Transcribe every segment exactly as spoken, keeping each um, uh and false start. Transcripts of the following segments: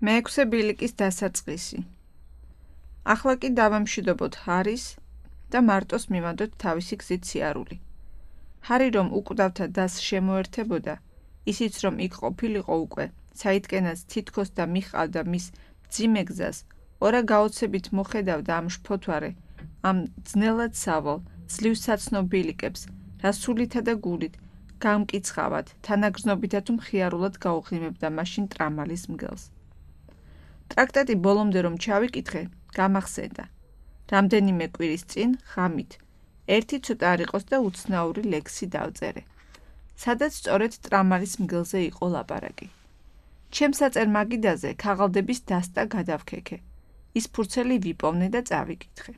მეექვსე ბილიკის დასაწყისი. ახლა კი დავამშვიდობოთ ჰარის და მარტოს მივანდოთ თავისი გზით სიარული. ჰარი რომ უკვდავთა დასს შემოერთებოდა, ისიც რომ იქ ყოფილიყო უკვე, საიდკენაც თითქოს და მიჰყავდა მის მძიმე გზას, ორა გაოცებით მოხედავდა ამ შფოთვარე, ამ ძნელად სავალ, ძლივ საცნო ბილიკებს, რა სულითა და გულით, გამკიცხავად, თანაგრძნობითა თუ მხიარულად გაუღიმებდა მაშინ ტრამალის მგელს. ტრაქტატი ბოლომდე რომ ჩავიკითხე, გამახსენდა. რამდენიმე კვირის წინ, ღამით, ერთი ცოტა არ იყოს და უცნაური ლექსი დავწერე. სადაც სწორედ ტრამალის მგელზე იყო ლაპარაკი. ჩემს საწერ მაგიდაზე ქაღალდების დასტა გადავქექე. ის ფურცელი ვიპოვნე და წავიკითხე.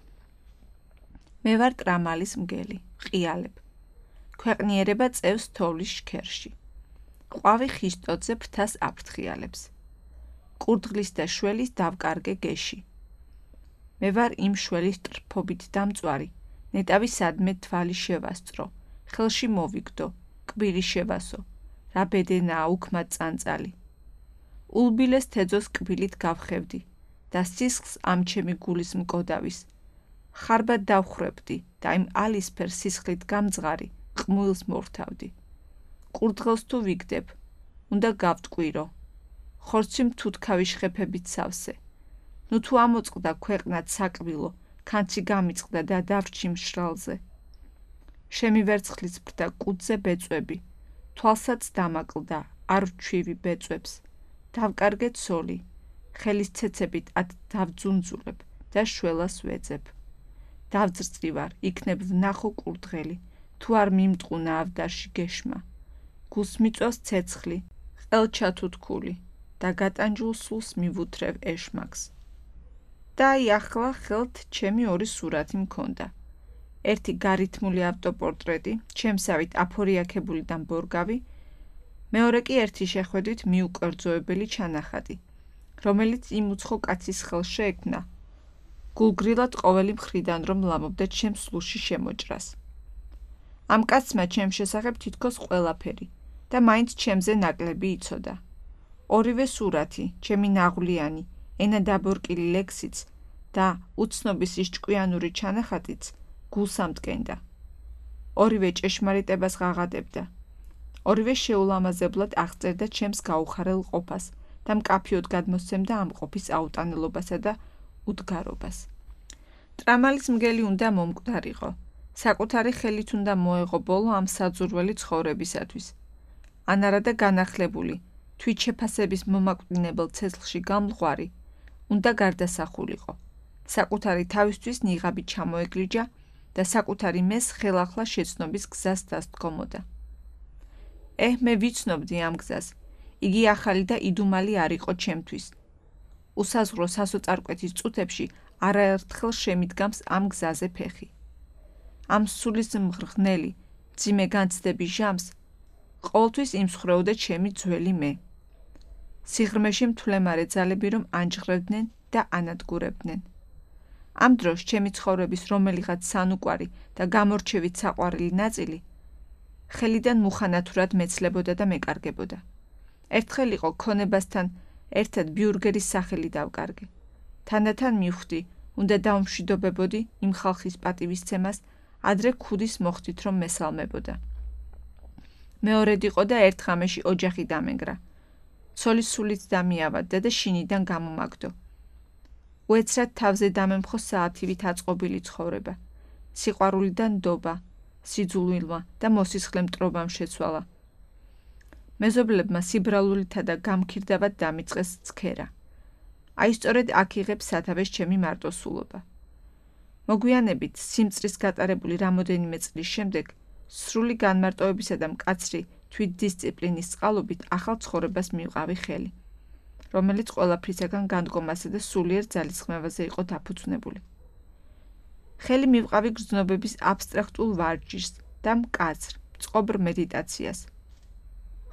მე ვარ ტრამალის მგელი, ყიალებ. ქვეყნიერება წევს თოვლის შქერში. ყვავი ხისტოძე ფრთას აფრთხიალებს. კურდღლის და შველის დავკარგე გეში. მე ვარ იმ შველის ტრფობით დამწვარი, ნეტავი სადმე თვალი შევასწრო, ხელში მოვიგდო, კბილი შევასო, რა ბედენაა უქმად წანწალი. ულბილეს თეძოს კბილით გავხევდი და სისხლს ამ ჩემი გულის მკოდავის. ხარბად დავხრებდი და იმ ალისფერ სისხლით გამძღარი ყმუილს მორთავდი. კურდღელს თუ ვიგდებ, უნდა გავტყვირო. ხორცი თუთქავი შხეფებით სავსე. ნუ თუ ამოწყდა ქვეყნად საკბილო, ქანცი გამიწყდა და დავრჩი მშრალზე. შემივერცხლის ბრდა კუდზე ბეწვები, თვალსაც დამაკლდა, არ ვჩვივი ბეწვებს. დავკარგე ცოლი, ხელის ცეცებით ათ დავძუნძულებ და შველას ვეძებ. დავძრწივარ, იქნებ ვნახო კურდღელი, თუ არ მიმტყუნა ავდარში გეშმა. გულს მიწვავს ცეცხლი, ყელჩა თუთქული და გატანჯულ სულს მივუთრევ ეშმაკს. და აი ახლა ხელთ ჩემი ორი სურათი მქონდა. ერთი გარითმული ავტოპორტრეტი, ჩემსავით აფორიაქებული და მბორგავი, მეორე კი ერთი შეხვედრით მიუკერძოებელი ჩანახატი, რომელიც იმ უცხო კაცის ხელს შეექმნა, გულგრილად ყოველი მხრიდან რომ ლამობდა ჩემს სულში შემოჭრას. ამ კაცმა ჩემს შესახებ თითქოს ყველაფერი და მაინც ჩემზე ნაკლები იცოდა. ორივე სურათი, ჩემი ნაღვლიანი, ენა დაბორკილი ლექსიც და უცნობის ის ჭკვიანური ჩანახატიც გულს ამტკენდა. ორივე ჭეშმარიტებას ღაღადებდა. ორივე შეულამაზებლად აღწერდა ჩემს გაუხარელ ყოფას და მკაფიოდ გადმოსცემდა ამ ყოფის აუტანელობასა და უდგარობას. ტრამალის მგელი უნდა მომკვდარიყო, საკუთარი ხელით უნდა მოეღო ბოლო ამ საძურველი ცხოვრებისათვის. ან არა და განახლებული, თვითშეფასების მომაკვდინებელ ცეცხლში გამლღვარი, უნდა გარდასახულიყო. საკუთარი თავისთვის ნიღაბი ჩამოეგლიჯა და საკუთარი მეს ხელახლა შეცნობის გზას დასდგომოდა. ეჰ, მე ვიცნობდი ამ გზას, იგი ახალი და იდუმალი არ იყო ჩემთვის. უსაზღვრო სასოწარკვეთის წუთებში არაერთხელ შემიდგამს ამ გზაზე ფეხი. ამ სულის მღრღნელი, მძიმე განცდების ჟამს ყოველთვის იმსხვრეოდა ჩემი ძველი მე. სიღრმეში მთვლემარე ძალები რომ ანჯღრევდნენ და ანადგურებდნენ. ამ დროს ჩემი ცხოვრების რომელიღაც სანუკვარი და გამორჩევით საყვარელი ნაწილი ხელიდან მუხანათურად მეცლებოდა და მეკარგებოდა. ერთხელ იყო ქონებასთან ერთად ბიურგერის სახელი დავკარგე. თანდათან მივხვდი, უნდა დავმშვიდობებოდი იმ ხალხის პატივისცემას, ადრე ქუდის მოხდით რომ მესალმებოდა. მეორედ იყო და ერთ ღამეში ოჯახი დამენგრა. ცოლი სულით დამიავადდა და შინიდან გამომაგდო. უეცრად თავზე დამემხო საათივით აწყობილი ცხოვრება. სიყვარულიდან ნდობა, სიძულვილმა და მოსისხლე მტრობამ შეცვალა. მეზობლებმა სიბრალულითა და გამქირდავად დამიწყეს ცქერა. აი სწორედ აქ იღებს სათავეს ჩემი მარტოსულობა. მოგვიანებით, სიმწრის გატარებული რამოდენიმე წლის შემდეგ, სრული განმარტოებისა და მკაცრი თვითდისციპლინის წყალობით ახალ ცხოვრებას მივყავი ხელი, რომელიც ყველაფრისაგან განდგომასა და სულიერ ძალისხმევაზე იყო დაფუძნებული. ხელი მივყავი გრძნობების აბსტრაქტულ ვარჯიშს და მკაცრ, წყობრ მედიტაციას.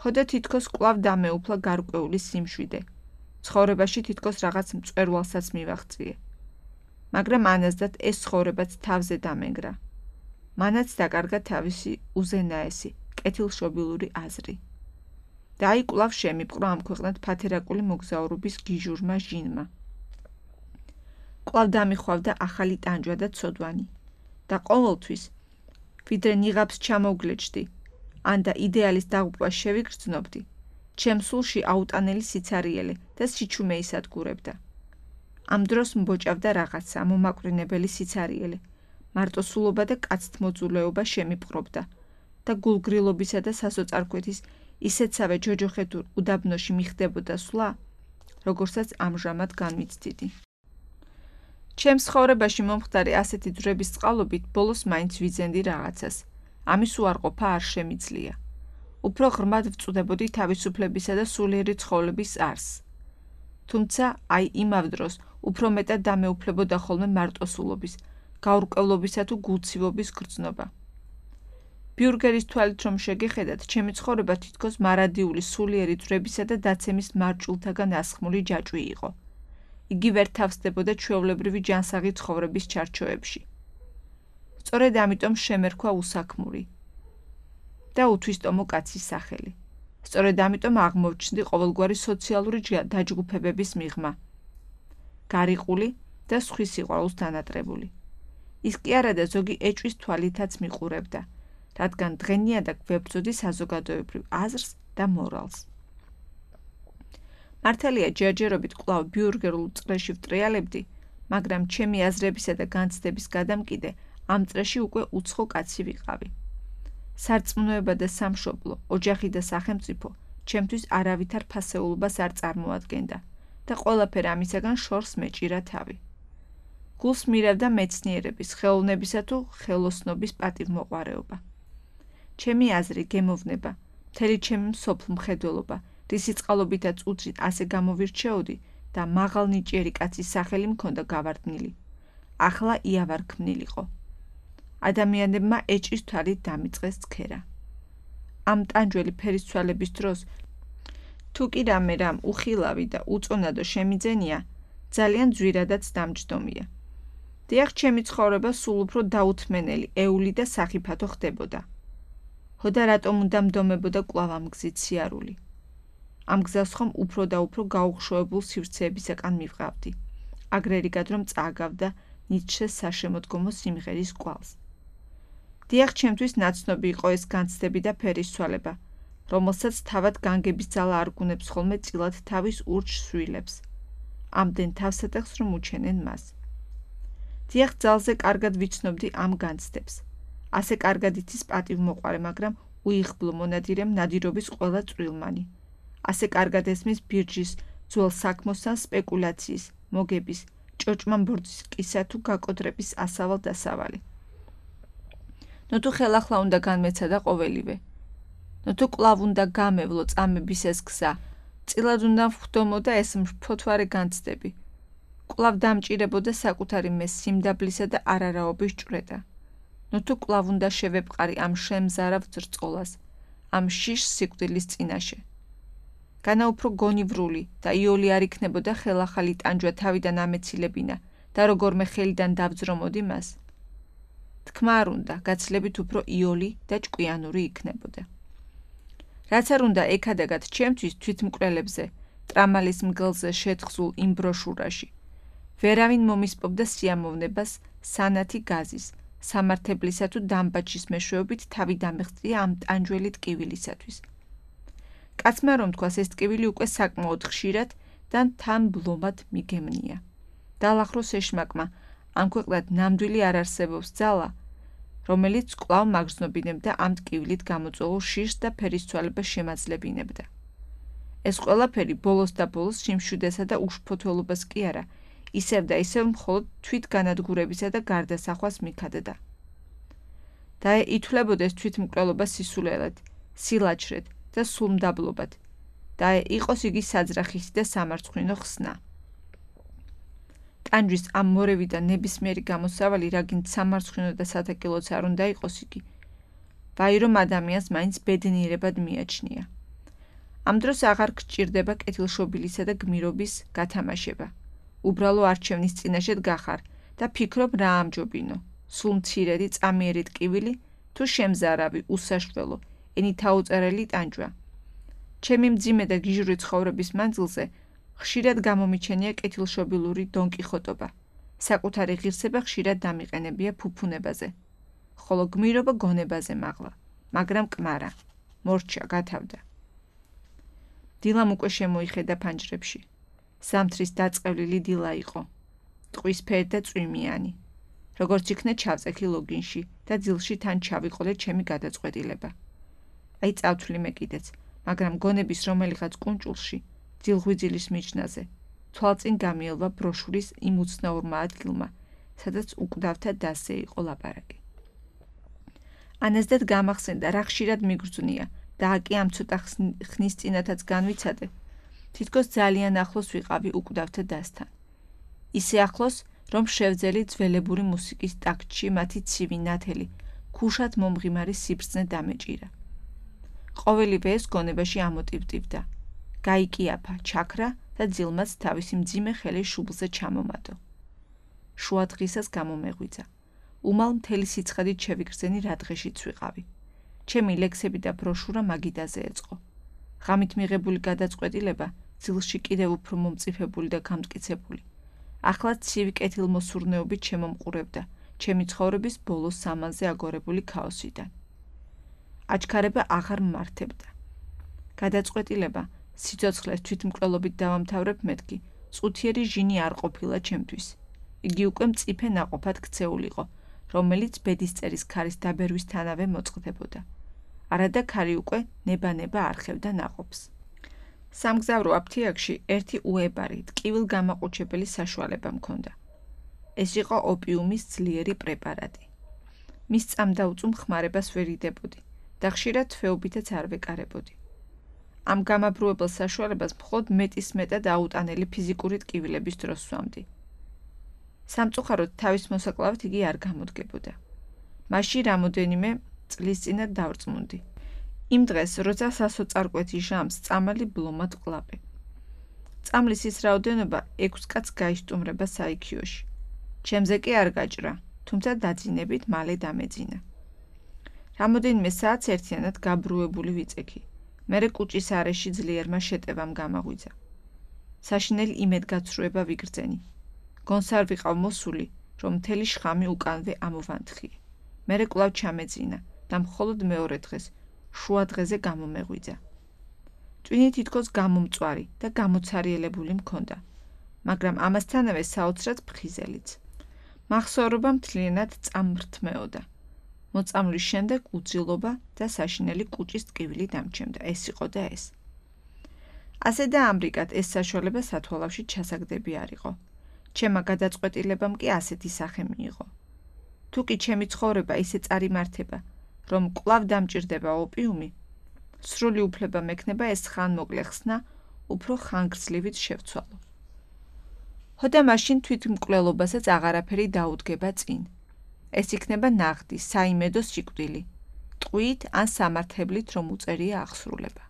ხოდა თითქოს კვლავ დამეუფლა გარკვეული სიმშვიდე. ცხოვრებაში თითქოს რაღაც მწვერვალსაც მივაღწიე. მაგრამ ანაზდათ ეს ცხოვრებაც თავზე დამენგრა. მანაც დაკარგა თავისი უზენაესი, კეთილშობილური აზრი. და აი კვლავ შემიპყრო ამ ქვეყნად ფათერაკული მოგზაურობის გიჟურმა ჟინმა. კვლავ დამიხვავდა ახალი ტანჯვა და ცოდვანი და ყოველთვის, ვიდრე ნიღაბს ჩამოვგლეჯდი, ან და იდეალის დაღუპვას შევიგრძნობდი, ჩემ სულში აუტანელი სიცარიელე და სიჩუმე ისადგურებდა. ამ დროს მბოჭავდა რაღაცა მომაკვრინებელი სიცარიელე, მარტოსულობა და კაცთმოძულეობა შემიპყრობდა და გულგრილობისა და სასოწარკვეთის ისეთსავე ჯოჯოხეთურ უდაბნოში მიხდებოდა სვლა, როგორცაც ამჟამად განვიცდიდი. ჩემს ცხოვრებაში მომხდარი ასეთი ძვრების წყალობით ბოლოს მაინც ვიძენდი რაღაცას. ამის უარყოფა არ შემიძლია. უფრო ღრმად ვწუდებოდი თავისუფლებისა და სულიერი ცხოვრების არსს. თუმცა აი იმავ დროს უფრო მეტად დამეუფლებოდა ხოლმე მარტოსულობის, გაურკვევლობისა თუ გულცივობის გრძნობა. ბიურგერის თვალით რომ შეგეხედათ, ჩემი ცხოვრება თითქოს მარადიული სულიერი ძვრებისა და დაცემის მარჭულთაგან ასხმული ჯაჭვი იყო. იგი ვერ თავსდებოდა ჩვეულებრივი ჯანსაღი ცხოვრების ჩარჩოებში. სწორედ ამიტომ შემერქვა უსაქმური და უთვისტომო კაცის სახელი. სწორედ ამიტომ აღმოჩნდი ყოველგვარი სოციალური დაჯგუფებების მიღმა. გარიყული და სხვის სიყვარულს დანატრებული. ის კი არა და ზოგი ეჭვის თვალითაც მიყურებდა, რადგან დღენიადაგ ვებრძოდი საზოგადოებრივ აზრს და მორალს. მართალია ჯერჯერობით კვლავ ბიურგერულ წრეში ვტრიალებდი, მაგრამ ჩემი აზრებისა და განცდების გადამკიდე ამ წრეში უკვე უცხო კაცი ვიყავი. სარწმუნოება და სამშობლო, ოჯახი და სახელმწიფო ჩემთვის არავითარ ფასეულობას არ წარმოადგენდა და ყველაფერ ამისაგან შორს მეჭირა თავი. გულს მირევდა მეცნიერების, ხელოვნებისა თუ ხელოსნობის პატივმოყვარეობა. ჩემი აზრი, გემოვნება, მთელი ჩემი მსოფლმხედველობა, რისი წყალობითაც უცით ასე გამოვირჩეოდი და მაღალნიჭიერი კაცის სახელი მქონდა გავარდნილი. ახლა იავარ ქმნილიყო. ადამიანებმა ეჭვის თვალით დამიწყეს ცქერა. ამ ტანჯველი ფერისცვალების დროს, თუ კი რამე რამ უხილავი და უწონადო შემიძენია, ძალიან ძვირადაც დამჯდომია. დიახ, ჩემი ცხოვრება სულ უფრო დაუთმენელი, ეული და სახიფათო ხდებოდა. ჰოდა რატომ უნდა მდომებოდა კვლავ ამ გზით სიარული? ამ გზას ხომ უფრო და უფრო გაუხშოებულ სივრცეებისაკან მივყავდი. აგრერიგად რომ წააგავდა ნიცშეს საშემოდგომო სიმღერის კვალს. დიახ, ჩემთვის ნაცნობი იყო ეს განცდები და ფერისცვალება, რომელსაც თავად განგების ძალა არგუნებს ხოლმე წილად თავის ურჩ სვილებს. ამდენ თავსატეხს რომ უჩენენ მას. დიახ, ძალზე კარგად ვიცნობდი ამ განცდებს. ასე კარგად იცის პატივმოყვარე, მაგრამ უიღბლო მონადირემ ნადირობის ყველა წვრილმანი. ასე კარგად ესმის ბირჯის, ძველ საქმოსთან სპეკულაციის, მოგების, ჭოჭმამბორძის კისა თუ გაკოდრების ასავალ დასავალი. ნუ თუ ხელახლა უნდა განმეცადა ყოველივე. ნუ თუ კვლავ უნდა გამევლო წამების ეს გზა, წილად უნდა ვხვდომოდა ეს მფოთვარე განცდები. კვლავ დამჭირებოდა საკუთარი მე სიმდაბლისა და არარაობის ჭვრეტა. ნუ თუ კვლავ უნდა შევეპყარი ამ შემზარავ ძრწყოლას, ამ შიშ სიკვდილის წინაშე. განა უფრო გონივრული და იოლი არ იქნებოდა ხელახალი ტანჯვა თავიდან ამეცილებინა და როგორმე ხელიდან დავძრომოდი მას. თქმა არ უნდა, გაცილებით უფრო იოლი და ჭკვიანური იქნებოდა. რაც არ უნდა ეკადაგათ ჩემთვის თვითმკვლელებზე, ტრამალის მგელზე შეთხზულ იმ ბროშურაში. ვერავინ მომისპობდა სიამოვნებას სანათი გაზის, სამართებლისა თუ დამბაჩის მეშვეობით თავი დამეხწია ამ ტანჯველი ტკივილისათვის. კაცმა რომ თქვას, ეს ტკივილი უკვე საკმაოდ ხშირად და თან ბლომად მიგემნია. დაალახროს ეშმაკმა, ამ ქვეყნად ნამდვილი არ არსებობს ძალა, რომელიც კვლავ მაგრძნობინებდა ამ ტკივილით გამოწვეულ შიშს და ფერისცვალებას შემაძლებინებდა. ეს ყველაფერი ბოლოს და ბოლოს სიმშვიდესა და უშფოთველობას კი არა, ისევ და ისევ მხოლოდ თვითგანადგურებისა და გარდასახვას მიქადდა. და ითვლებოდეს თვითმკვლელობა სისულელად, სილაჩრედ და სულმდაბლობად და იყოს იგი საძრახისი და სამარცხვინო ხსნა. ტანჯვის ამ მორევი და ნებისმიერი გამოსავალი რაგინც სამარცხვინო და სათაკილოც არ უნდა იყოს იგი. ვაი რომ ადამიანს მაინც ბედნიერებად მიაჩნია. ამ დროს აღარ გჭირდება კეთილშობილისა და გმირობის გათამაშება. უბრალო არჩევნის წინაშე დგახარ და ფიქრობ რა ამჯობინო, სულ მცირედი წამიერი ტკივილი თუ შემზარავი, უსაშველო, ენით აუწერელი ტანჯვა. ჩემი მძიმე და გიჟური ცხოვრების მანძილზე ხშირად გამომიჩენია კეთილშობილური დონკიხოტობა. საკუთარი ღირსება ხშირად დამიყენებია ფუფუნებაზე. ხოლო გმირობა გონებაზე მაღლა, მაგრამ კმარა, მორჩა, გათავდა. დილამ უკვე შემოიხედა ფანჯრებში. ზამთრის დაწყევლილი დილა იყო. ტყვისფერი და წვიმიანი. როგორც იქნა ჩავწექი ლოგინში და ძილში თან ჩავიყოლე ჩემი გადაწყვეტილება. აი წავთვლი მე კიდეც, მაგრამ გონების რომელიღაც კუნჭულში, ძილღვიძილის მიჯნაზე, თვალწინ გამიელვა ბროშურის იმ უცნაურმა ადგილმა, სადაც უკვდავთა დასზე იყო ლაპარაკი. ანაზდად გამახსენდა, რა ხშირად მიგრძვნია და აკი ამ ცოტა ხნის წინათაც განვიცადე, თითქოს ძალიან ახლოს ვიყავი უკვდავთა დასთან. ისე ახლოს, რომ შევძელი ძველებური მუსიკის ტაქტში მათი ცივი ნათელი, ქუშად მომღიმარი სიბრძნე დამეჭირა. ყოველივე ეს გონებაში ამოტივტივდა. გაიკიაფა, ჩაქრა და ძილმაც თავისი მძიმე ხელი შუბლზე ჩამომატო. შუა დღისას გამომეღვიძა. უმალ მთელი სიცხადით შევიგრძენი რა დღეშიც ვიყავი. ჩემი ლექსები და ბროშურა მაგიდაზე ეწყო. ღამით მიღებული გადაწყვეტილება ძილში კიდევ უფრო მომწიფებული და გამტკიცებული. ახლა ცივი კეთილმოსურნეობით შემომყურებდა ჩემი ცხოვრების ბოლო სამანზე აგორებული ქაოსიდან. აჩქარება აღარ მმართებდა. გადაწყვეტილება სიცოცხლეს თვითმკვლელობით დავამთავრებ მეთქი, წუთიერი ჟინი არ ყოფილა ჩემთვის. იგი უკვე მწიფე ნაყოფად ქცეულიყო, რომელიც ბედისწერის ქარის დაბერვისთანავე მოწყდებოდა. არადა ქარი უკვე ნება-ნება არხევდა ნაყოფს. სამგზავრო აფთიაქში ერთი უებარი, ტკივილგამაყუჩებელი საშუალება მქონდა. ეს იყო ოპიუმის ძლიერი პრეპარატი. მის წამდაუწუ ხმარებას ვერ იდებოდი და ხშირად თვეობითაც არ ვეკარებოდი. ამ გამაბრუებელ საშუალებას მხოლოდ მეტისმეტად აუტანელი ფიზიკური ტკივილების დროს სვამდი. სამწუხაროდ თავის მოსაკლავად იგი არ გამოდგებოდა. მაშინ რამოდენიმე წლის წინათ დავრწმუნდი. იმ დღეს, როცა სასოწარკვეთი ჟამს წამალი ბლომად ვყლაპე. წამლის ის რაოდენობა ექვს კაცს გაისტუმრება საიქიოში. ჩემზე კი არ გაჭრა, თუმცა დაძინებით მალე დამეძინა. რამოდენიმე საათს ერთიანად გაბრუებული ვიწექი. მერე კუჭის არეში ძლიერმა შეტევამ გამაღვიძა. საშინელი იმედგაცრუება ვიგრძენი. გონსარ ვიყავ მოსული, რომ მთელი შხამი უკანვე ამოვანთხიე. მერე კვლავ ჩამეძინა და მხოლოდ მეორე დღეს, შუა დღეზე გამომეღვიძა. ტვინი თითქოს გამომწვარი და გამოცარიელებული მქონდა, მაგრამ ამასთანავე საოცრად ფხიზელიც. მახსოვრობა მთლიანად წამრთმეოდა. მოწამვლის შემდეგ უძილობა და საშინელი კუჭის ტკივილი დამჩემდა. ეს იყო და ეს. ასე და ამრიგად ეს საშუალება სათვალავში ჩასაგდები არ იყო. ჩემმა გადაწყვეტილებამ კი ასეთი სახე მიიღო. თუ კი ჩემი ცხოვრება ისე წარიმართება, რომ კვლავ დამჭირდება ოპიუმი, სრული უფლება მექნება ეს ხანმოკლე ხსნა უფრო ხანგრძლივით შევცვალო. ხოდა მაშინ თვითმკვლელობასაც აღარაფერი დაუდგება წინ. ეს იქნება ნაღდი, საიმედო სიკვდილი, ტყვით ან სამართლებით რომ უწერია აღსრულება.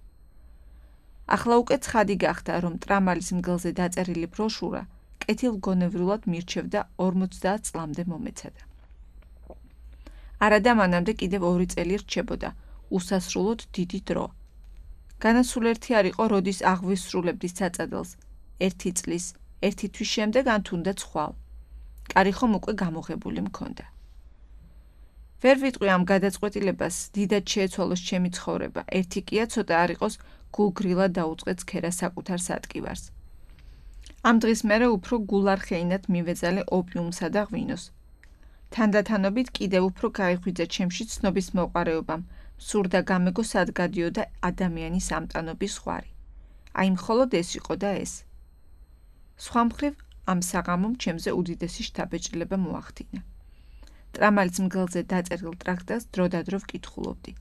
ახლა უკვე ცხადი გახდა, რომ ტრამალის მგელზე დაწერილი ბროშურა კეთილგონევრულად მირჩევდა ორმოცდაათ წლამდე მომეცადა. არადა მანამდე კიდევ ორი წელი რჩებოდა, უსასრულოდ დიდი დრო. განასულ ერთი არ იყო, როდის აღვისრულებდი საწადელს, ერთი წლის, ერთი თვის შემდეგ ან თუნდაც ხვალ. კარი ხომ უკვე გამოღებული მქონდა. ვერ ვიტყვი ამ გადაწყვეტილებას დიდად შეეცვალოს ჩემი ცხოვრება, ერთი კია ცოტა არ იყოს გულგრილად დაუწყեց ქერა საკუთარ სატკივარს. ამ დღის მერე უფრო გულარხეინად მივეძალე ოპიუმსა და ღვინოს. თანდათანობით კიდევ უფრო გაიხვიძა ჩემში ცნობის მოყარეობამ, სურდა გამეგო სად გადიოდა ადამიანის ამტანობის ზღვარი. აი მხოლოდ ეს იყო და ეს. სხვა მხრივ ამ საღამომ ჩემზე უდიდესი შთაბეჭდილება მოახდინა. ტრამალის მგელზე დაწერილ ტრაქტატს დროდადრო ვკითხულობდი.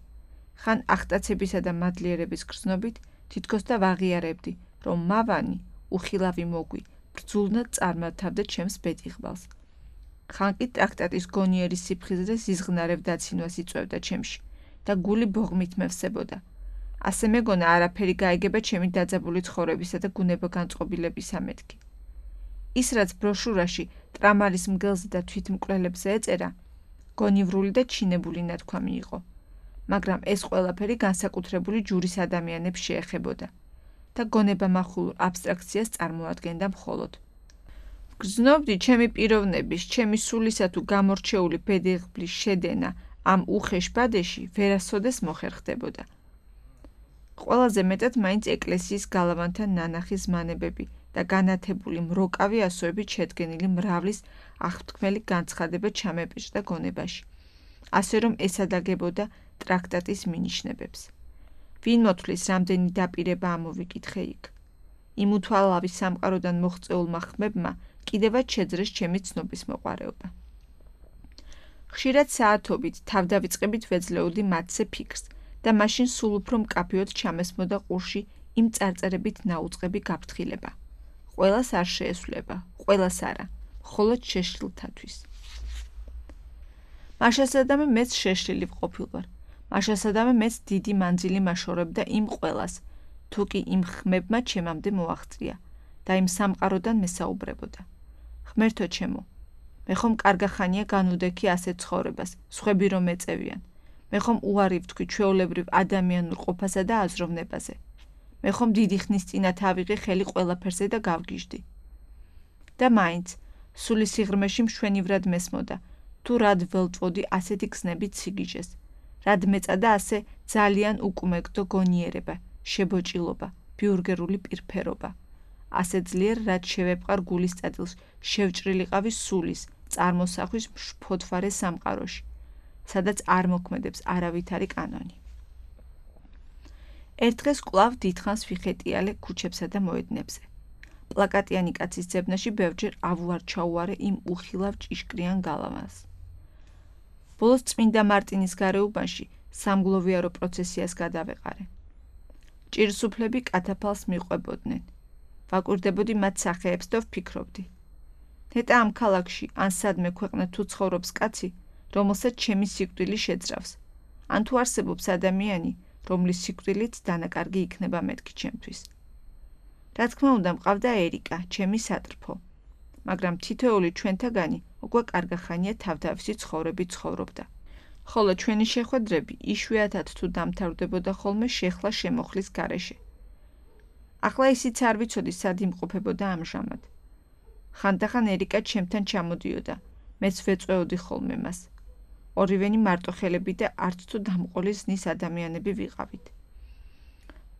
ხან ახტაცებისა და მადლიერების გრძნობით თითქოს და ვაღიარებდი, რომ მავანი, უხილავი მოგვი, ბრძულნად წარმართავდა ჩემს ბედიღბალს. ხან კი ტრაქტატის გონიერი სიფხიზე და სიზღნარებ დაცინვას იწვევდა ჩემში და გული ბოღმით მევსებოდა. ასე მეგონა არაფერი გაიგება ჩემი დაძაბული ცხოვრებისა და გუნებაგანწყობილებისა მეთქი. ის რაც ბროშურაში ტრამალის მგელზე და თვითმკვლელებზე ეწერა, გონივრული და ჩინებული ნათქვამი იყო, მაგრამ ეს ყველაფერი განსაკუთრებული ჯურის ადამიანებს შეეხებოდა და გონებამახვილ აბსტრაქციას წარმოადგენდა მხოლოდ. გრძნობდი ჩემი პიროვნების, ჩემი სულისა თუ გამორჩეული ბედიღბლის შედენა ამ უხეშ ბადეში ვერასოდეს მოხერხდებოდა. ყველაზე მეტად მაინც ეკლესიის გალავანთან ნანახი ზმანებები და განათებული მროკავი ასოებით შედგენილი მრავლის აღთქმელი განცხადება ჩამეპეჭდა გონებაში, ასე რომ ესადაგებოდა ტრაქტატის მინიშნებებს. ვინ მოთვლის რამდენი დაპირება ამოვიკითხე იქ? იმ უთვალავი სამყაროდან მოღწეულმა ხმებმა კიდევაც შეძრეს ჩემი ცნობის მოყვარეობა. ხშირად საათობით თავდავიწყებით ვეძლეოდი მათზე ფიქრს და მაშინ სულ უფრო მკაფიოდ ჩამესმოდა ყურში იმ წარწერებით ნაუწყები გაფრთხილება. ყველას არ შეესვლება, ყველას არა, მხოლოდ შეშლილთათვის. მაშასადამე მეც შეშლილი ვყოფილვარ. მაშასადამე მეც დიდი მანძილი მაშორებდა იმ ყველას, თუ კი იმ ხმებმა ჩემამდე მოაღწია და იმ სამყაროდან მესაუბრებოდა. ღმერთო ჩემო, მე ხომ კარგახანია განუდექი ასეთ ცხოვრებას, სხვები რომ ეწევიან. მე ხომ უარი ვთქვი ჩვეულებრივ ადამიანურ ყოფასა და აზროვნებაზე. მე ხომ დიდი ხნის წინათ ავიღე ხელი ყველაფერზე და გავგიჟდი. და მაინც, სული სიღრმეში მშვენივრად მესმოდა, თუ რად ველწვოდი ასეთი გზნებით სიგიჟეს, რად მეწადა ასე ძალიან უკუმეგდო გონიერება, შებოჭილობა, ბიურგერული პირფერობა. ასე ძლიერ, რაც შევეპყარ გულის წერილს, შევჭრილიყავი სულის, წარმოსახვის მშფოთვარე სამყაროში, სადაც არ მოქმედებს არავითარი კანონი. ერთ დღეს კვლავ დიდხანს ვიხეტიალე ქუჩებსა და მოედნებზე. პლაკატიანი კაცის ძებნაში ბევრჯერ ავუარ-ჩაუარე იმ უხილავ ჭიშკრიან გალავანს. ბოლოს წმინდა მარტინის გარეუბანში სამგლოვიარო პროცესიას გადავეყარე. ჭირსუფლები კათაფალს მიყვებოდნენ. ვაკვირდებოდი მათ სახეებს და ვფიქრობდი. ნეტა ამ ქალაქში ან სადმე ქვეყნად თუ ცხოვრობს კაცი, რომელსაც ჩემი სიკვდილი შეძრავს, ან თუ არსებობს ადამიანი, რომლის სიკვდილით დანაკარგი იქნება მეთქი ჩემთვის. რა თქმა უნდა, მყავდა ერიკა, ჩემი სატრფო, მაგრამ თითოეული ჩვენთაგანი უკვე კარგახანია თავდავისი ცხოვრებით ცხოვრობდა. ხოლო ჩვენი შეხვედრები იშვიათად თუ დამთავრდებოდა ხოლმე შეხლა შემოხლის გარეშე. ახლა ისიც არ ვიცოდი სად იმყოფებოდა ამჟამად. ხანდახან ერიკა ჩემთან ჩამოდიოდა, მეც ვეწვეოდი ხოლმე მას. ორივენი მარტოხელები და არც თუ დამყოლი ზნის ადამიანები ვიყავით.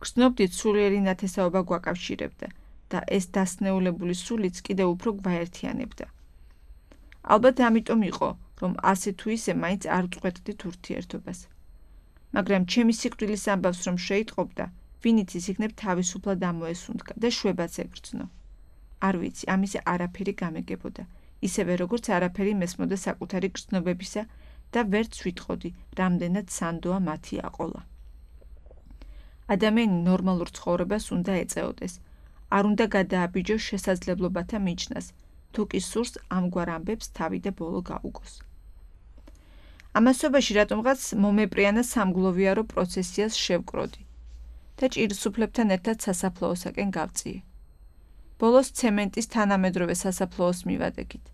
გრძნობდით სულიერი ნათესაობა გვაკავშირებდა და ეს დასნეულებული სულიც კიდევ უფრო გვაერთიანებდა. ალბათ ამიტომ იყო, რომ ასე თუ ისე მაინც არ ვწყვეტდით ურთიერთობას. მაგრამ ჩემი სიკვდილის ამბავს რომ შეიტყობდა, ვინიც ის იქნებ თავისუფლად ამოესუნთქა და შვებაც ეგრძნო. არ ვიცი, ამაზე არაფერი გამეგებოდა, ისევე როგორც არაფერი მესმოდა საკუთარი გრძნობებისა და ვერც ვიტყოდი, რამდენად სანდოა მათი აყოლა. ადამიანი ნორმალურ ცხოვრებას უნდა ეწეოდეს, არ უნდა გადააბიჯოს შესაძლებლობათა მიჯნას, თუ კი სურს ამგვარ ამბებს თავი და ბოლო გაუგოს. ამასობაში რატომღაც მომეპრიანა სამგლოვიარო პროცესიას შევკროდი და ჭირსუფლებთან ერთად სასაფლაოსაკენ გავწიე. ბოლოს ცემენტის თანამედროვე სასაფლაოს მივადგით,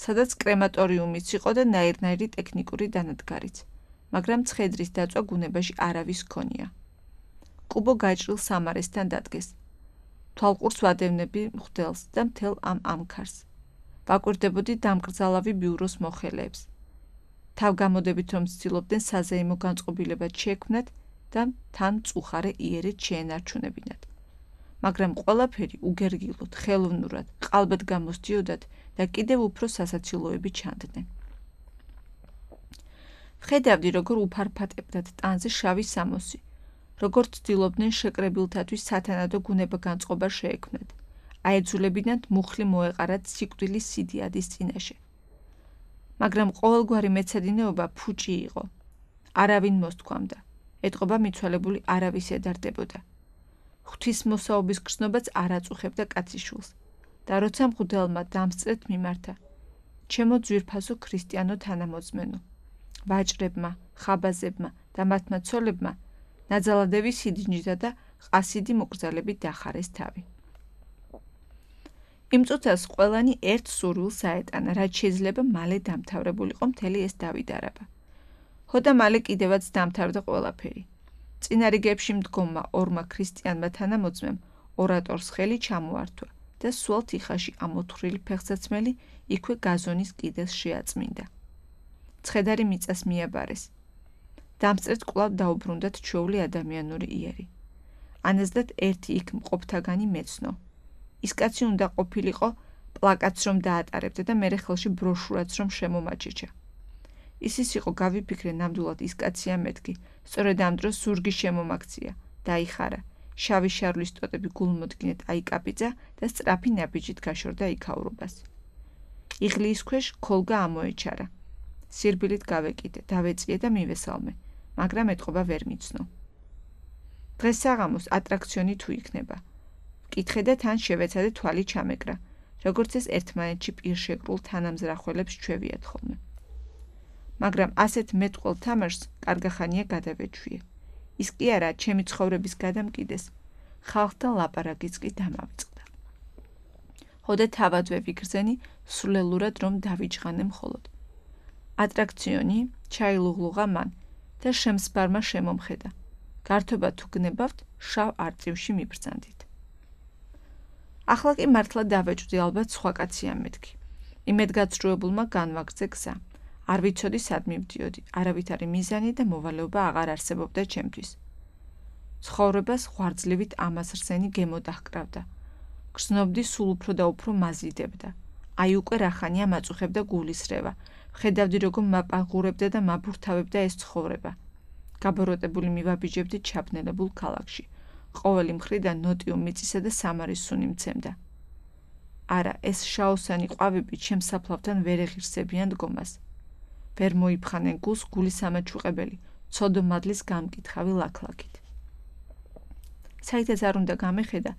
სადაც კრემატორიუმიც იყო და ნაირნაირი ტექნიკური დანადგარიც, მაგრამ ცხედრის დაწვა გუნებაში არავის ჰქონია. კუბო გაჭრილ სამარესთან დადგეს. თვალყურს ვადევნები მღვდელს და მთელ ამ ამქარს. ვაკვირდებოდი დამკრძალავი ბიუროს მოხელეებს. თავგამოდებით რომ ცდილობდნენ საზეიმო განწყობილებად შეექმნათ და თან მწუხარე იერეთ შეენარჩუნებინათ. მაგრამ ყველაფერი უგერგილოდ, ხელოვნურად, ყალბად გამოსდიოდათ და კიდევ უფრო სასაცილოები ჩანდნენ. ვხედავდი, როგორ უფარფატებდათ ტანზე შავი სამოსი, როგორ ცდილობდნენ შეკრებილთათვის სათანადო გუნება განწყობა შეექმნათ, აეძულებინათ მუხლი მოეყარათ სიკვდილის სიდიადის წინაშე. მაგრამ ყოველგვარი მეცადინეობა ფუჭი იყო. არავინ მოსთქვამდა, ეტყობა მიცვალებული არავის ედარდებოდა. ღვთისმოსაობის გრძნობაც არ აწუხებდა კაციშვილს და როცა მღვდელმა დამსწრეთ მიმართა, ჩემო ძვირფასო ქრისტიანო თანამოძმენო, ვაჭრებმა, ხაბაზებმა და მათმა ცოლებმა ნაძალადების სიდინჯდა და ყასიდი მოკრძალებით დახარეს თავი. იმ წუთას ყველანი ერთ სურვილს აეტანა, რაც შეიძლება მალე დამთავრებულიყო მთელი ეს დავიდარება. ჰოდა მალე კიდევაც დამთავრდა ყველაფერი. წინა რიგებში მდგომმა ორმა ქრისტიანმა თანამოძმემ ორატორს ხელი ჩამოართვა და სულ თიხაში ამოთხრილი ფეხსაცმელი იქვე გაზონის კიდეს შეაწმინდა. ცხედარი მიწას მიაბარეს. დამსწრედ კვლავ დაუბრუნდათ ჩვეული ადამიანური იერი. ანაზდათ ერთი იქ მყოფთაგანი მეცნო. ის კაცი უნდა ყოფილიყო პლაკატს რომ დაატარებდა და მერე ხელში ბროშურაც რომ შემომაჭიჭა. ისის იყო გავიფიქრე ნამდვილად ის კაცია მეთქი, სწორედ ამ დროს ზურგი შემომაქცია, დაიხარა, შავი შარვლის ტოტები გულმოდგინეთ აიკაპიძა და სწრაფი ნაბიჯით გაშორდა იქაურობას. იღლიის ქვეშ ქოლგა ამოეჩარა. სირბილით გავეკიდე, დავეწიე და მივესალმე, მაგრამ ეთყობა ვერ მიცნო. დღეს საღამოს ატრაქციონი თუ იქნება. ვკითხე და თან შევეცადე თვალი ჩამეკრა, როგორც ეს ერთმანეთში პირშეკრულ თანამზრახველებს ჩვევიათ ხოლმე. მაგრამ ასეთ მეტყველ თამაშს კარგახანია გადავეჩვიე. ის კი არა, ჩემი ცხოვრების გადამკიდეს, ხალხთან ლაპარაკიც კი დამავიწყდა. ჰოდა თავადვე ვიგრძენი, სულელურად რომ დავიჯღანე მხოლოდ. ატრაქციონი ჩაილუღლუღა მან და შემსბარმა შემომხედა. გართობა თუ გნებავთ, შავ არწივში მიბრძანდით. ახლა კი მართლა დავეჭვდი ალბათ სხვა კაცია მეთქი. იმედგაცრუებულმა განვაგრძე გზა. არ ვიცოდი სად მივდიოდი, არავითარი მიზანი და მოვალეობა აღარ არსებობდა ჩემთვის. ცხოვრებას ღვარძლივით ამასრსენი გემო დაჰკრავდა. გრძნობდი სულ უფრო და უფრო მაზიდებდა. აი უკვე რახანია მაწუხებდა გულისრევა. ხედავდი როგორ მაპაღურებდა და მაბურთავებდა ეს ცხოვრება. გაბოროტებული მივაბიჯებდი ჩაბნელებულ ქალაქში. ყოველი მხრიდან ნოტიო მიწისა და სამარის სუნი მცემდა. არა, ეს შაოსანი ყვავები ჩემს საფლავთან ვერ ეღირსებიან დგომას. ვერ მოიფხანენ გულს გულის ამაჩუყებელი, ცოდო მადლის გამკითხავი ლაქლაქით. საითაც არ უნდა გამეხედა,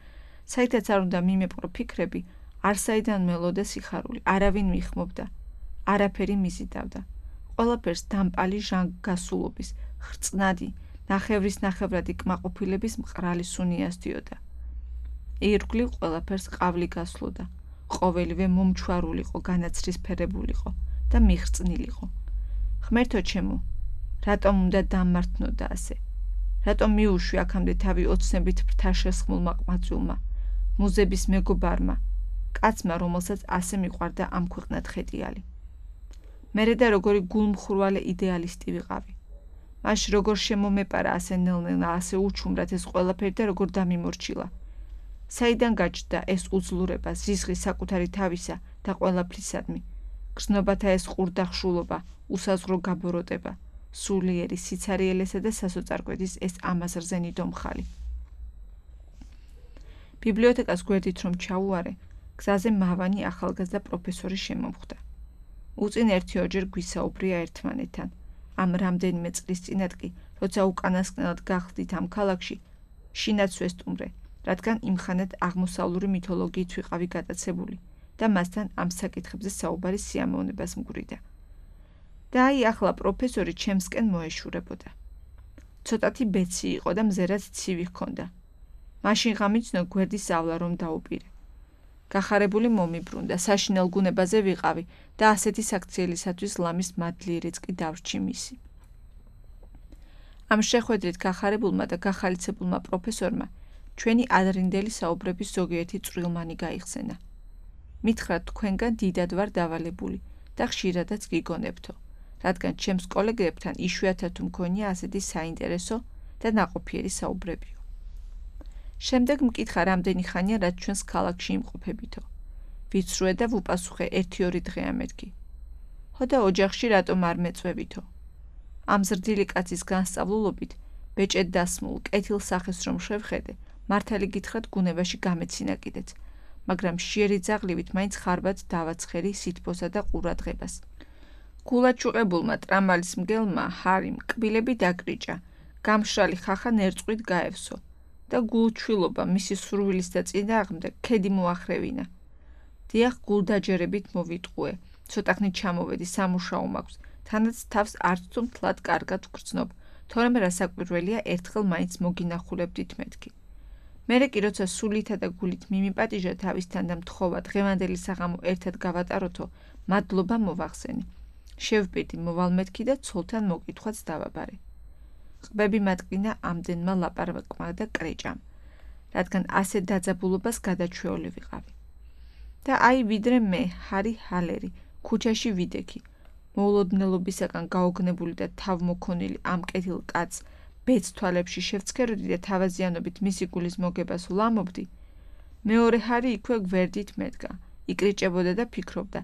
საითაც არ უნდა მიმეპყრო ფიქრები, არსაიდან მელოდა სიხარული, არავინ მიხმობდა, არაფერი მიზიდავდა. ყველაფერს დამპალი ჟანგგასულობის, ხრწნადი, ნახევრის ნახევრადი კმაყოფილების მყრალი სუნი ასდიოდა. ირგვლივ ყველაფერს ყავლი გასვლოდა, ყოველივე მომჩვარულიყო, განაცრისფერებულიყო და მიხრწნილიყო. ღმერთო ჩემო, რატომ უნდა დამმართნოდა ასე? რატომ მიუშვი აქამდე თავი ოცნებით ფრთა შესხმულმა ყმაწვილმა, მუზების მეგობარმა, კაცმა, რომელსაც ასე მიყვარდა ამ ქვეყნად ხეტიალი. მერე და როგორი გულმხურვალე იდეალისტი ვიყავი. მაშ როგორ შემომეპარა ასე ნელ-ნელა, ასე უჩუმრად ეს ყველაფერი და როგორ დამიმორჩილა. საიდან გაჩნდა ეს უძლურება, ზიზღი საკუთარი თავისა და ყველაფრისადმი, გრძნობათა ეს ყურდახშულობა, უსაზღრო გაბოროტება, სულიერი სიცარიელესა და სასოწარკვეთის ეს ამაზრზენი დომხალი. ბიბლიოთეკას გვერდით რომ ჩაუარე, გზაზე მავანი ახალგაზრდა პროფესორი შემომხვდა. უწინ ერთი ორჯერ გვისაუბრია ერთმანეთთან. ამ რამდენიმე წლის წინათ კი, როცა უკანასკნელად გახდით ამ ქალაქში, შინაც ვესტუმრე, რადგან იმხანად აღმოსავლური მითოლოგიით ვიყავი გატაცებული და მასთან ამ საკითხებზე საუბარი სიამოვნებას მგვრიდა. და აი ახლა პროფესორი ჩემსკენ მოეშურებოდა. ცოტათი ბეცი იყო და მზერად ცივი ჰქონდა. მაშინ გამიცნო გვერდის ავლა რომ დაუპირე. გახარებული მომიბრუნდა, საშინელ გუნებაზე ვიყავი და ასეთი საქციელისათვის ლამის მადლიერიც კი დავრჩი მისი. ამ შეხვედრით გახარებულმა და გახალიცებულმა პროფესორმა ჩვენი ადრინდელი საუბრების ზოგიერთი წვრილმანი გაიხსენა. მითხრათ თქვენგან დიდად ვარ დავალებული და ხშირადაც გიგონებთო, რადგან ჩემს კოლეგებთან იშვიათად თუ მქონია ასეთი საინტერესო და ნაყოფიერი საუბრებიო. შემდეგ მკითხა რამდენი ხანია რაც ჩვენს ქალაქში იმყოფებითო. ვიცრუე და ვუპასუხე ერთი ორი დღეა მეთქი. ჰოდა ოჯახში რატომ არ მეწვევითო? ამ ზრდილი კაცის განსწავლულობით ბეჭედ დასმულ კეთილ სახეს რომ შევხედე, მართალი გითხრათ გუნებაში გამეცინა კიდეც, მაგრამ შიერი ძაღლივით მაინც ხარბად დავაცხერი სითბოსა და ყურადღებას. გულაჩუყებულმა ტრამალის მგელმა ჰარიმ კბილები დაკრიჭა, გამშრალი ხახა ნერწყვით გაევსო და გულჩვილობა მისი სურვილის და წინააღმდეგ ქედი მოახრევინა. დიახ, გულდაჯერებით მოვიტყუე, ცოტახნით ჩამოვედი, სამუშაო მაქვს, თანაც თავს არც თუ მთლად კარგად ვგრძნობ, თორემ რასაკვირველია ერთხელ მაინც მოგინახულებდით მეთქი. მერე კი როცა სულითა და გულით მიმიპატიჟა თავისთან და მთხოვა დღევანდელი საღამო ერთად გავატაროთო, მადლობა მოვახსენი. შევბედი მოვალმეთქი და ცოლთან მოკითხვაც დავაბარე. ყბები მატკინა ამდენმა ლაპარაკმა და კრეჭამ, რადგან ასე დაძაბულობას გადაჩვეული ვიყავი. და აი ვიდრე მე, ჰარი ჰალერი, ქუჩაში ვიდექი, მოულოდნელობისაგან გაოგნებული და თავმოქონილი ამ კეთილ კაცს ბეც თვალებში შევცქეროდი და თავაზიანობით მისი გულის მოგებას ვლამობდი, მეორე ჰარი იქვე გვერდით მედგა, იკრიჭებოდა და ფიქრობდა,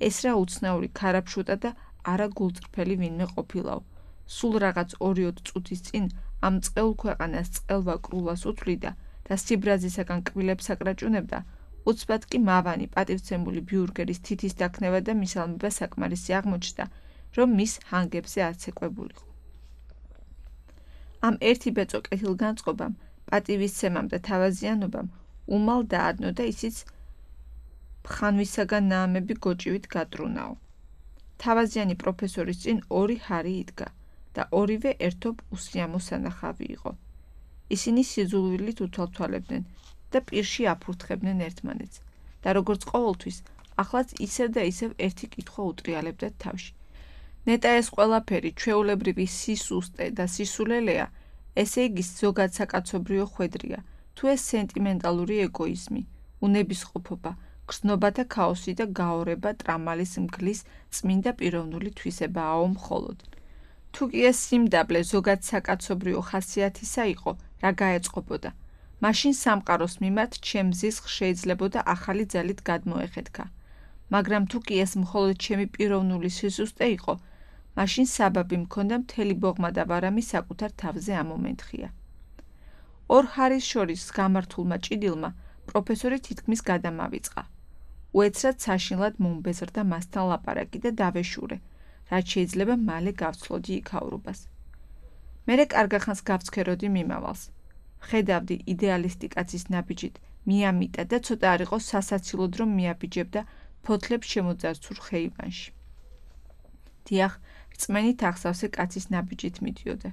ეს რა უცნაური ქარაფშუტა და არა გულწრფელი ვინმე ყოფილაო. სულ რაღაც ორიოდ წუთის წინ ამ წყეულ ქვეყანას წყელვა-კრულას უთვლიდა და სიბრაზისაგან კბილებს აკრაჭუნებდა, უცბად კი მავანი პატივცემული ბიურგერის თითის დაქნევა და მისალმება საკმარისი აღმოჩნდა, რომ მის ჰანგებზე აცეკვებულიყო. ამ ერთი ბეწო კეთილგანწყობამ, პატივისცემამ და თავაზიანობამ უმალ დაადნო და ისიც ხანვისაგან ნაამები გოჭივით გატრუნაო. თავაზიანი პროფესორის წინ ორი ჰარი იდგა და ორივე ერთობ უსიამო სანახავი იყო. ისინი სიძულვილით უთვალთვალებდნენ და პირში აფურთხებდნენ ერთმანეთს და როგორც ყოველთვის, ახლაც ისევ და ისევ ერთი კითხვა უტრიალებდათ თავში. ნეტა ეს ყველაფერი ჩვეულებრივი სისუსტე და სისულელეა, ესე იგი ზოგად საკაცობრიო ხვედრია, თუ ეს სენტიმენტალური ეგოიზმი, უნებისყოფობა, გრძნობათა ქაოსი და გაორება ტრამალის მგლის წმინდა პიროვნული თვისებააო მხოლოდ. თუ კი ეს სიმდაბლე ზოგად საკაცობრიო ხასიათისა იყო, რა გაეწყობოდა, მაშინ სამყაროს მიმართ ჩემს ზისხ შეიძლებოდა ახალი ძალით გადმოეხეთქა. მაგრამ თუ კი ეს მხოლოდ ჩემი პიროვნული სისუსტე იყო, მაშინ საბაბი მქონდა მთელი ბოღმა და ვარამი საკუთარ თავზე ამომენთხია. ორ ჰარის შორის გამართულმა ჭიდილმა პროფესორი თითქმის გადამავიწყა. უეცრად საშინლად მომბეზრდა მასთან ლაპარაკი და დავეშურე, რაც შეიძლება მალე გავცლოდი იქაურობას. მერე კარგახანს გავცქეროდი მიმავალს. ხედავდი იდეალისტი კაცის ნაბიჯით მიამიტა და ცოტა არ იყო სასაცილოდ რომ მიაბიჯებდა ფოთლებს შემოძარცულ ხეივანში. დიახ, რწმენით ახსავსე კაცის ნაბიჯით მიდიოდა.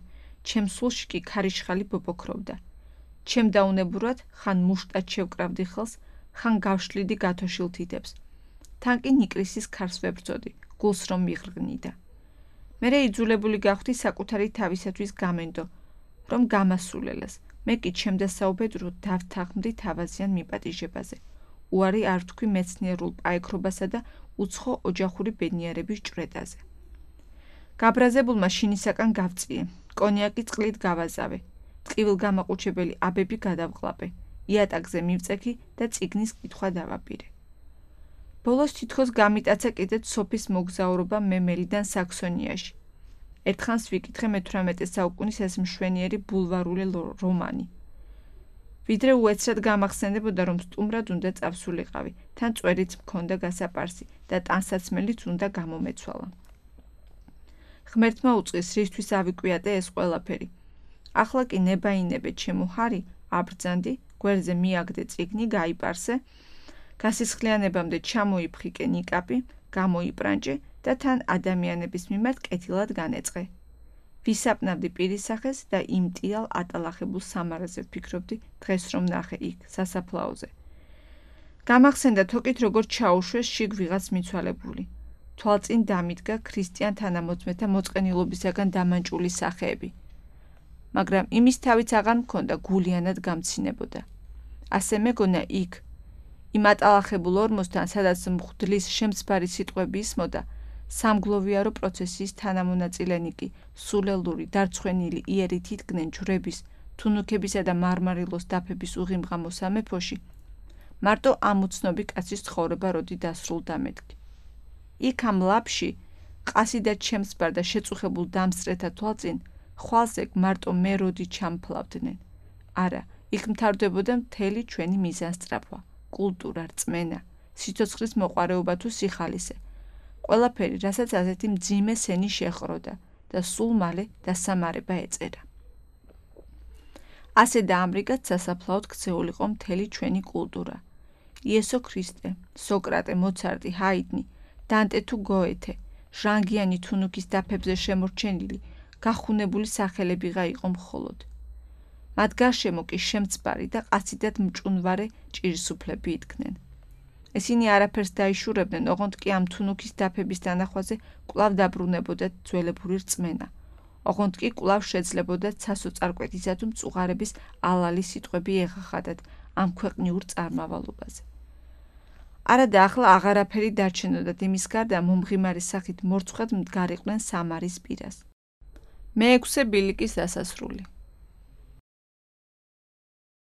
ჩემ სულში კი ქარიშხალი ბობოქრობდა. ჩემ დაუნებურად ხან მუშტად შევკრავდი ხელს, ხან გავშლიდი გათოშილ თითებს. თან კი ნიკრისის ქარს ვებრძოდი, გულს რომ მიღრღნიდა. მერე იძულებული გავხდი საკუთარი თავისათვის გამენდო, რომ გამასულელას, მე კი ჩემდასაუბედროდ დავთანხმდი თავაზიან მიპატიჟებაზე. უარი არ ვთქვი მეცნიერულ პაექრობასა და უცხო ოჯახური ბედნიერების ჭვრეტაზე. გაბრაზებულმა შინისაკან გავწიე, კონიაკი წყლით გავაზავე, ტყივილ გამაყუჩებელი აბები გადავყლაპე, იატაკზე მივწექი და წიგნის კითხვა დავაპირე. ბოლოს თითქოს გამიტაცა კიდეც სოფის მოგზაურობა მემელიდან საქსონიაში. ერთხანს ვიკითხე მეთვრამეტე საუკუნის ეს მშვენიერი ბულვარული რომანი. ვიდრე უეცრად გამახსენდებოდა, რომ სტუმრად უნდა წავსულიყავი, თან წვერით მქონდა გასაპარსი და ტანსაცმელიც უნდა გამომეცვალა. ღმერთმა უწყის, რისთვის ავიკვიატე ეს ყველაფერი. ახლა კი ნებაინებე ჩემო ჰარი, აბრძანდი, გვერდზე მიაგდე წიგნი, გაიპარსე, გასისხლიანებამდე ჩამოიფხიკე ნიკაპი, გამოიპრანჭე და თან ადამიანების მიმართ კეთილად განეწყე. ვისაპნავდი პირისახეს და იმ ტიალ ატალახებულ სამარაზე ვფიქრობდი დღეს რომ ნახე იქ, სასაფლაოზე. გამახსენდა თოკით როგორ ჩაუშვეს შიგ ვიღაც მიცვალებული. თვალწინ დამიდგა ქრისტიან თანამოწმეთა მოწყენილობისაგან დამანჭული სახეები. მაგრამ იმის თავიც აღარ მქონდა გულიანად გამცინებოდა. ასე მეგონა იქ, იმ ატალახებულ ორმოსთან, სადაც მღვდლის შემცბარი სიტყვები ისმოდა, სამგლოვიარო პროცესიის თანამონაწილენი კი სულელური, დარცხვენილი იერით იდგნენ ჯვრების, თუნუქებისა და მარმარილოს დაფების უღიმღამო სამეფოში, მარტო ამ უცნობი კაცის ცხოვრება როდი დასრულდა მეთქი. იქ ამ ლაპში, ყასიდად შემცბარ და შეწუხებულ დამსწრეთა თვალწინ, ხვალზე მარტო მე როდი ჩამფლავდნენ. არა, იქ მთავრდებოდა მთელი ჩვენი მიზანსწრაფვა, კულტურა, რწმენა, სიცოცხლის მოყვარეობა თუ სიხალისე. ყველაფერი, რასაც ასეთი მძიმე სენი შეხროდა და სულ მალე დასამარება ეწერა. ასე დაამრიგად სასაფლაოდ ქცეულიყო მთელი ჩვენი კულტურა. იესო ქრისტე, სოკრატე, მოცარტი, ჰაიდნი, დანტე თუ გოეთე, ჟანგიანი თუნუქის დაფებზე შემორჩენილი, გახუნებული სახელებიღა იყო მხოლოდ. მათ გარშემო კი შემცბარი და ყაციდად მჭუნვარე ჭირისუფლები იდგნენ. ესენი არაფერს დაიშურებდნენ, ოღონდ კი ამ თუნუქის დაფების დანახვაზე კვლავ დაბრუნებოდათ ძველებური რწმენა. ოღონდ კი კვლავ შეძლებოდათ ცასო წარკვეთისა თუ მწუღარების ალალი სიტყვები ეღახადათ ამ ქვეყნიურ წარმავალობაზე. არადა ახლა აღარაფერი დარჩენოდათ იმის გარდა მომღიმარის სახით მორცხვად მდგარიყვნენ სამარის პირას. მეექვსე ბილიკის დასასრული.